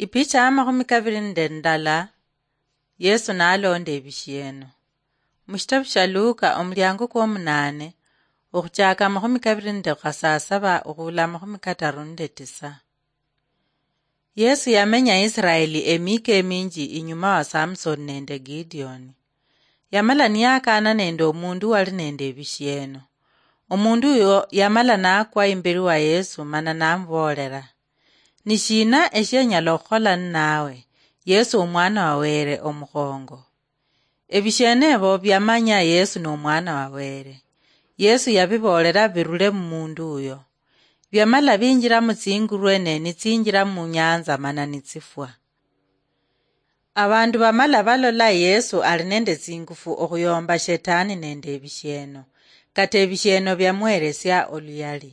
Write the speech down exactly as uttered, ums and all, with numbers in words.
Ipicha ya makhumi kabiri nende ndala. Yesu nalonda ebishieno. Mushitabu sha Luka, omulyango kwomunane, okhuchaka makhumi kabiri nende khasasaba okhula makhumi kataru nende tisa. Yesu yamenya Israeli emika eminji inyuma wa Samsoni nende Gideoni. Yamala niyakana nende omundu wali nende ebishieno. Omundu uyo yamala nakwa imberi wa Yesu mana namuboolera, "Ni shina eshinyala okhukhola ninawe, Yesu omwana wa Were omukhongo?" Ebishieno ebo biamanya Yesu nomwana wa Were. Yesu yabiboolera birule mumundu uyo. Biamala binjira mutsingurwe ne nitsinjira munyanza mana nitsifwa. Abandu bamala balola Yesu ali nende tsingufu okhuyomba Shetani nende ebishieno. Kata ebishieno biamuheresia oluyali.